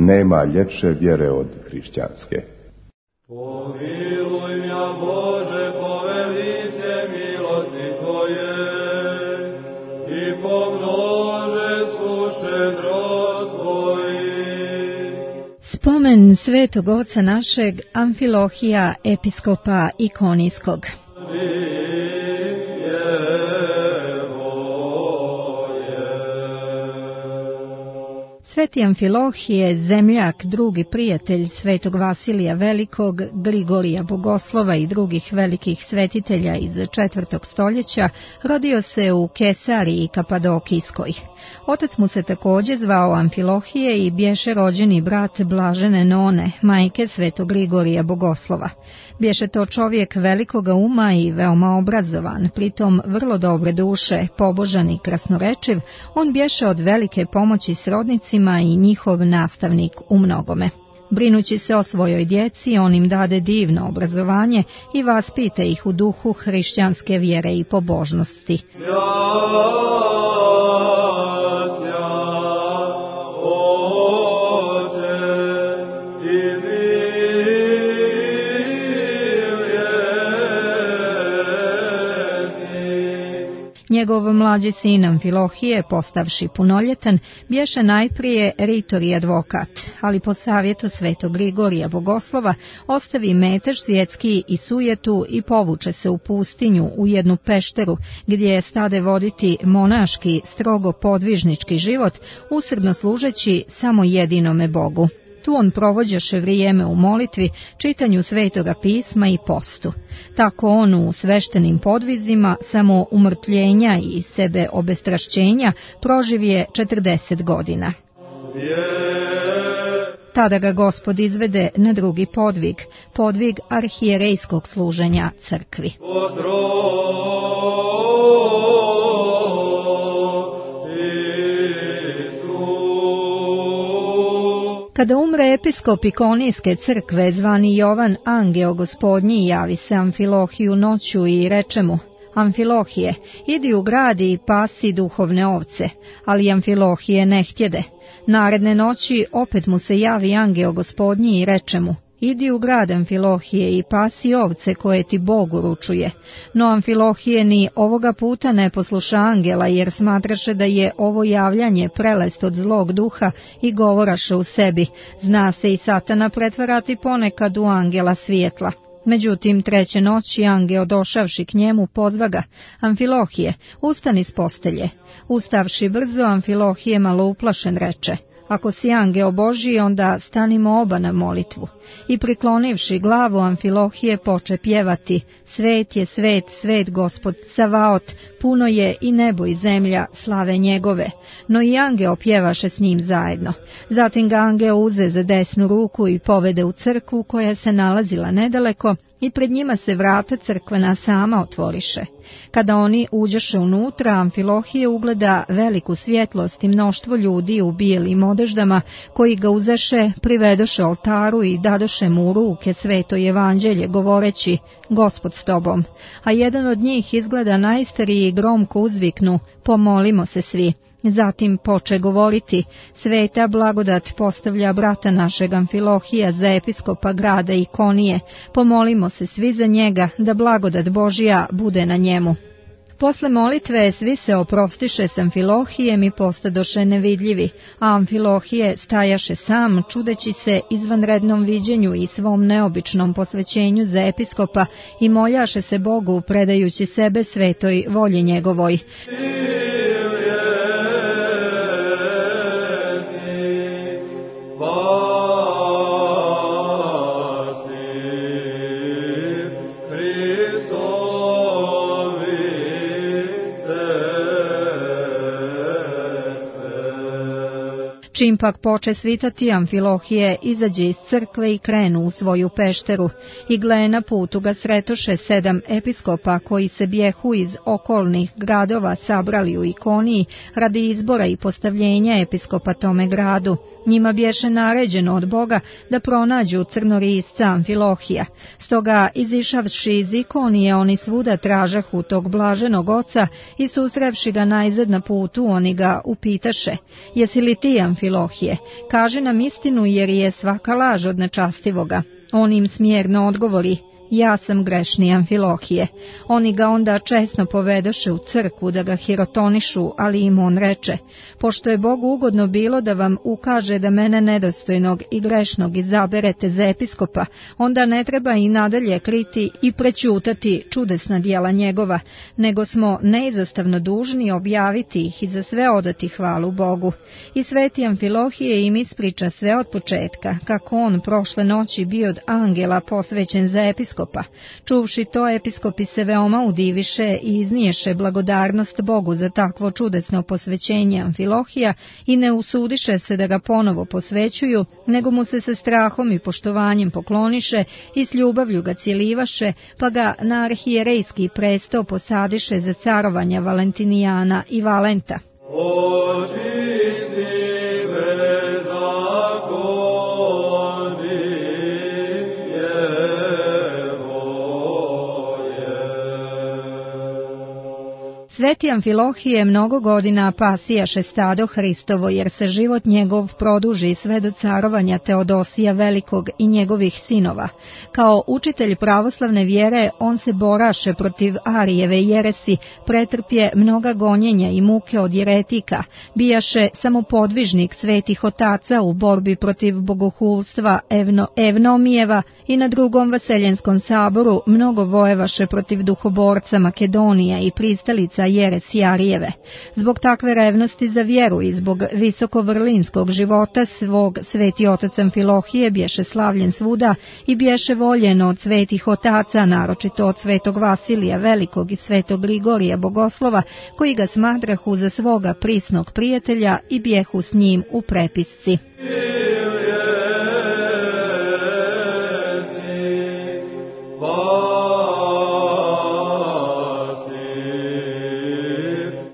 Nema ljepše vjere od hrišćanske. Pomiluj mja Bože po velice milosti Tvoje i pomnože šedrost Tvoji. Spomen svetog oca našeg Amfilohija, episkopa Ikonijskog. Sveti Amfilohije, zemljak, drugi prijatelj svetog Vasilija Velikog, Grigorija Bogoslova i drugih velikih svetitelja iz 4. stoljeća, rodio se u Kesariji Kapadokijskoj. Otac mu se također zvao Amfilohije i bješe rođeni brat Blažene None, majke svetog Grigorija Bogoslova. Bješe to čovjek velikoga uma i veoma obrazovan, pritom vrlo dobre duše, pobožan i krasnorečiv. On bješe od velike pomoći srodnicima i njihov nastavnik u mnogome. Brinući se o svojoj djeci, on im dade divno obrazovanje i vaspita ih u duhu hrišćanske vjere i pobožnosti. Njegov mlađi sin Amfilohije, postavši punoljetan, bješe najprije ritor i advokat, ali po savjetu svetog Grigorija Bogoslova ostavi metež svjetski i sujetu i povuče se u pustinju u jednu pešteru gdje stade voditi monaški, strogo podvižnički život, usrdno služeći samo jedinome Bogu. Tu on provođaše vrijeme u molitvi, čitanju svetoga pisma i postu. Tako on u sveštenim podvizima, samo umrtljenja i sebe obestrašćenja, proživje 40 godina. Tada ga Gospod izvede na drugi podvig, podvig arhijerejskog služenja crkvi. Kada umre episkop Ikonijske crkve, zvani Jovan Angeo Gospodnji, javi se Amfilohiju noću i reče mu: Amfilohije, idi u grad i pasi duhovne ovce. Ali Amfilohije ne htjede. Naredne noći opet mu se javi Angeo Gospodnji i reče mu: idi u grad, Amfilohije, i pasi ovce koje ti Bog uručuje. No Amfilohije ni ovoga puta ne posluša angela, jer smatraše da je ovo javljanje prelest od zlog duha i govoraše u sebi: zna se i Satana pretvarati ponekad u angela svjetla. Međutim, treće noći angel došavši k njemu pozva ga: Amfilohije, ustani s postelje. Ustavši brzo, Amfilohije malo uplašen reče: ako si angel Božji, onda stanimo oba na molitvu. I priklonivši glavu, Amfilohije poče pjevati: svet je svet, svet Gospod Savaot, puno je i nebo i zemlja slave njegove. No i angel pjevaše s njim zajedno. Zatim ga angel uze za desnu ruku i povede u crkvu koja se nalazila nedaleko, i pred njima se vrata crkvena sama otvoriše. Kada oni uđeše unutra, Amfilohije ugleda veliku svjetlost i mnoštvo ljudi u bijelim odeždama, koji ga uzeše, privedoše oltaru i dadoše mu u ruke sveto evanđelje, govoreći: Gospod s tobom. A jedan od njih izgleda najstariji i gromko uzviknu: pomolimo se svi. Zatim poče govoriti: sveta blagodat postavlja brata našeg Amfilohija za episkopa grada Ikonije, pomolimo se svi za njega, da blagodat Božja bude na njemu. Posle molitve svi se oprostiše s Amfilohijem i postadoše nevidljivi, a Amfilohije stajaše sam, čudeći se izvanrednom viđenju i svom neobičnom posvećenju za episkopa, i moljaše se Bogu, predajući sebe svetoj volji njegovoj. Čim pak poče svitati, Amfilohije izađe iz crkve i krenu u svoju pešteru, i gle, na putu ga sretoše 7 episkopa koji se bjehu iz okolnih gradova sabrali u Ikoniji radi izbora i postavljenja episkopa tome gradu. Njima bješe naređeno od Boga da pronađu crnorisca Amfilohija. Stoga, izišavši iz Ikonije, oni svuda tražahu tog blaženog oca i susrevši ga najzad na putu, oni ga upitaše: jesi li ti Amfilohije? Kaži nam istinu, jer je svaka laž od nečastivoga. On im smjerno odgovori: ja sam grešni Amfilohije. Oni ga onda česno povedoše u crkvu da ga hirotonišu, ali im on reče: pošto je Bogu ugodno bilo da vam ukaže da mene nedostojnog i grešnog izaberete za episkopa, onda ne treba i nadalje kriti i prećutati čudesna djela njegova, nego smo neizostavno dužni objaviti ih i za sve odati hvalu Bogu. I sveti Amfilohije im ispriča sve od početka, kako on prošle noći bio od angela posvećen za episkopa. Čuvši to, episkopi se veoma udiviše i izniješe blagodarnost Bogu za takvo čudesno posvećenje Amfilohija i ne usudiše se da ga ponovo posvećuju, nego mu se sa strahom i poštovanjem pokloniše i s ljubavlju ga cjelivaše, pa ga na arhijerejski presto posadiše za carovanja Valentinijana i Valenta. Sveti Amfilohije mnogo godina pasijaše stado Hristovo, jer se život njegov produži sve do carovanja Teodosija Velikog i njegovih sinova. Kao učitelj pravoslavne vjere, on se boraše protiv Arijeve jeresi, pretrpje mnoga gonjenja i muke od jeretika, bijaše samopodvižnik svetih otaca u borbi protiv bogohulstva Evnomijeva i na Drugom Vaseljenskom saboru mnogo vojevaše protiv duhoborca Makedonija i pristalica jeresi Arijeve. Zbog takve revnosti za vjeru i zbog visokovrlinskog života svog, sveti otac Amfilohije bješe slavljen svuda i bješe voljen od svetih otaca, naročito od svetog Vasilija Velikog i svetog Grigorija Bogoslova, koji ga smatrahu za svoga prisnog prijatelja i bjehu s njim u prepisci.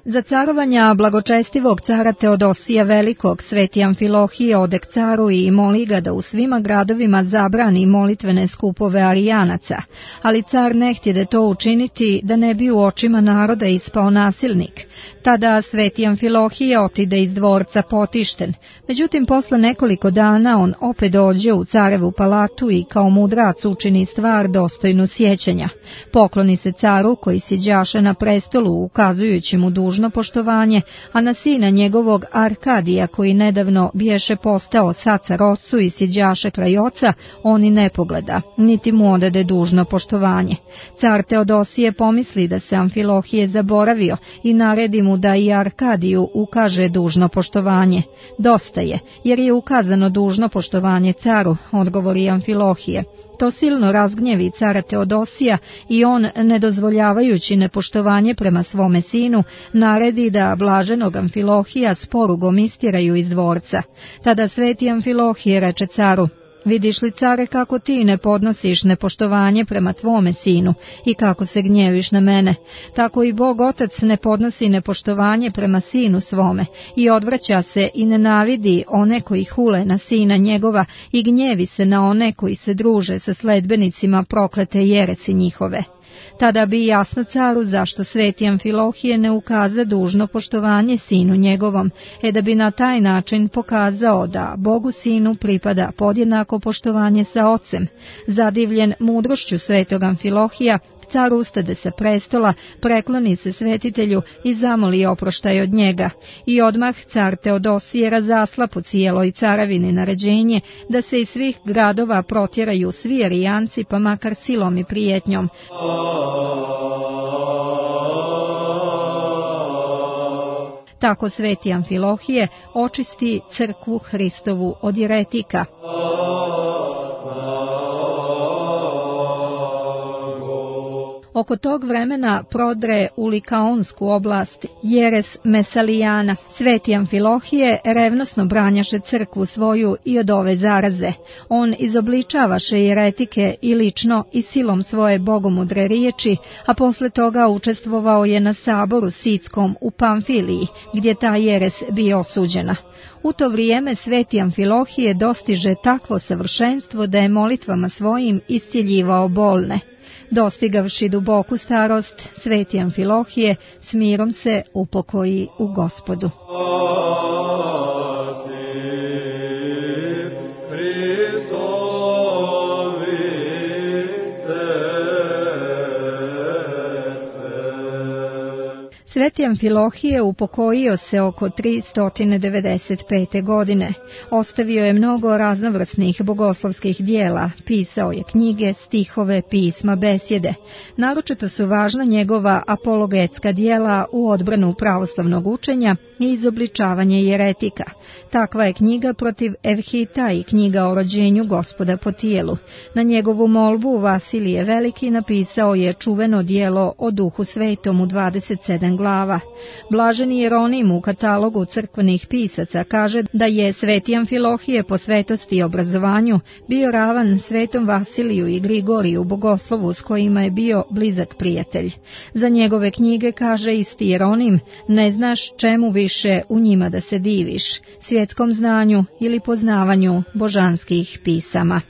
Za carovanja blagočestivog cara Teodosija Velikog, sveti Amfilohije odek caru i moli ga da u svima gradovima zabrani molitvene skupove Arijanaca, ali car ne htjede to učiniti da ne bi u očima naroda ispao nasilnik. Tada sveti Amfilohije otide iz dvorca potišten. Međutim, posle nekoliko dana on opet dođe u carevu palatu i kao mudrac učini stvar dostojnu sjećanja. Pokloni se caru koji sjeđaše na prestolu, ukazujući mu dužno poštovanje, a na sina njegovog Arkadija, koji nedavno biješe postao sacar ocu i sjeđaše kraj oca, on i ne pogleda, niti mu odade dužno poštovanje. Car Teodosije pomisli da se Amfilohije zaboravio i naredi mu da i Arkadiju ukaže dužno poštovanje. Dosta je, jer je ukazano dužno poštovanje caru, odgovori Amfilohije. To silno razgnjevi cara Teodosija i on, ne dozvoljavajući nepoštovanje prema svome sinu, naredi da blaženog Amfilohija s porugom istjeraju iz dvorca. Tada sveti Amfilohije reče caru: vidiš li, care, kako ti ne podnosiš nepoštovanje prema tvome sinu i kako se gnjeviš na mene, tako i Bog Otac ne podnosi nepoštovanje prema sinu svome i odvraća se i nenavidi one koji hule na sina njegova i gnjevi se na one koji se druže sa sledbenicima proklete jeresi njihove. Tada bi jasno caru zašto sveti Amfilohije ne ukaza dužno poštovanje sinu njegovom, da bi na taj način pokazao da Bogu sinu pripada podjednako poštovanje sa ocem. Zadivljen mudrošću svetog Amfilohija, car ustade sa prestola, prekloni se svetitelju i zamoli oproštaj od njega. I odmah car Teodosije razasla po cijeloj caravini naređenje da se iz svih gradova protjeraju svi Arijanci, pa makar silom i prijetnjom. Tako sveti Amfilohije očisti crkvu Hristovu od jeretika. Oko tog vremena prodre u Likaonsku oblast jeres Mesalijana. Sveti Amfilohije revnosno branjaše crkvu svoju i od ove zaraze. On izobličavaše jeretike i lično i silom svoje bogomudre riječi, a posle toga učestvovao je na saboru sitskom u Pamfiliji, gdje ta jeres bio osuđena. U to vrijeme sveti Amfilohije dostiže takvo savršenstvo da je molitvama svojim iscijeljivao bolne. Dostigavši duboku starost, sveti Amfilohije s mirom se upokoji u Gospodu. Sveti Amfilohije upokojio se oko 395. godine. Ostavio je mnogo raznovrsnih bogoslovskih dijela, pisao je knjige, stihove, pisma, besjede. Naročito su važna njegova apologetska dijela u odbranu pravoslavnog učenja i izobličavanje jeretika. Takva je knjiga protiv Evhita i knjiga o rođenju Gospoda po tijelu. Na njegovu molbu Vasilije Veliki napisao je čuveno dijelo o Duhu Svetom u 27 glava. Blaženi Jeronim u katalogu crkvenih pisaca kaže da je sveti Amfilohije po svetosti i obrazovanju bio ravan svetom Vasiliju i Grigoriju bogoslovu s kojima je bio blizak prijatelj. Za njegove knjige kaže isti Jeronim: ne znaš čemu više u njima da se diviš, svjetskom znanju ili poznavanju božanskih pisama.